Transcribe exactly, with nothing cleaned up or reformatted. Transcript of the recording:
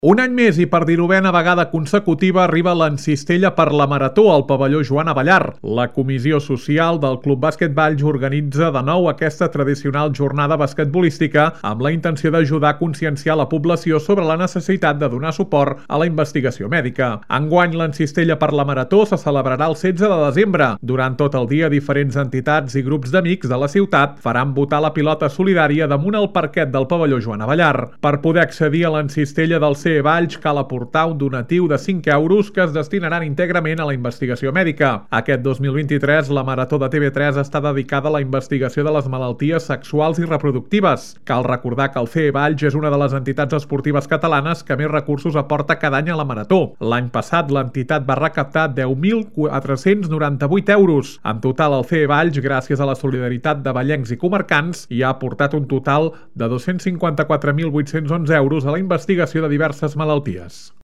Un any més i per dinovena vegada consecutiva arriba l'Encistella per la Marató al pavelló Joan Abellar. La comissió social del Club Bàsquet Valls organitza de nou aquesta tradicional jornada basquetbolística amb la intenció d'ajudar a conscienciar la població sobre la necessitat de donar suport a la investigació mèdica. Enguany, l'Encistella per la Marató se celebrarà el setze de desembre. Durant tot el dia, diferents entitats i grups d'amics de la ciutat faran votar la pilota solidària damunt el parquet del pavelló Joan Abellar. Per poder accedir a l'Encistella del C E Valls cal aportar un donatiu de cinc euros que es destinaran íntegrament a la investigació mèdica. Aquest dos mil vint-i-tres, la Marató de T V tres està dedicada a la investigació de les malalties sexuals i reproductives. Cal recordar que el C E Valls és una de les entitats esportives catalanes que més recursos aporta cada any a la Marató. L'any passat, l'entitat va recaptar deu mil quatre-cents noranta-vuit euros. En total, el C E Valls, gràcies a la solidaritat de vallencs i comarcans, hi ha aportat un total de dos-cents cinquanta-quatre mil vuit-cents onze euros a la investigació de diverses malalties.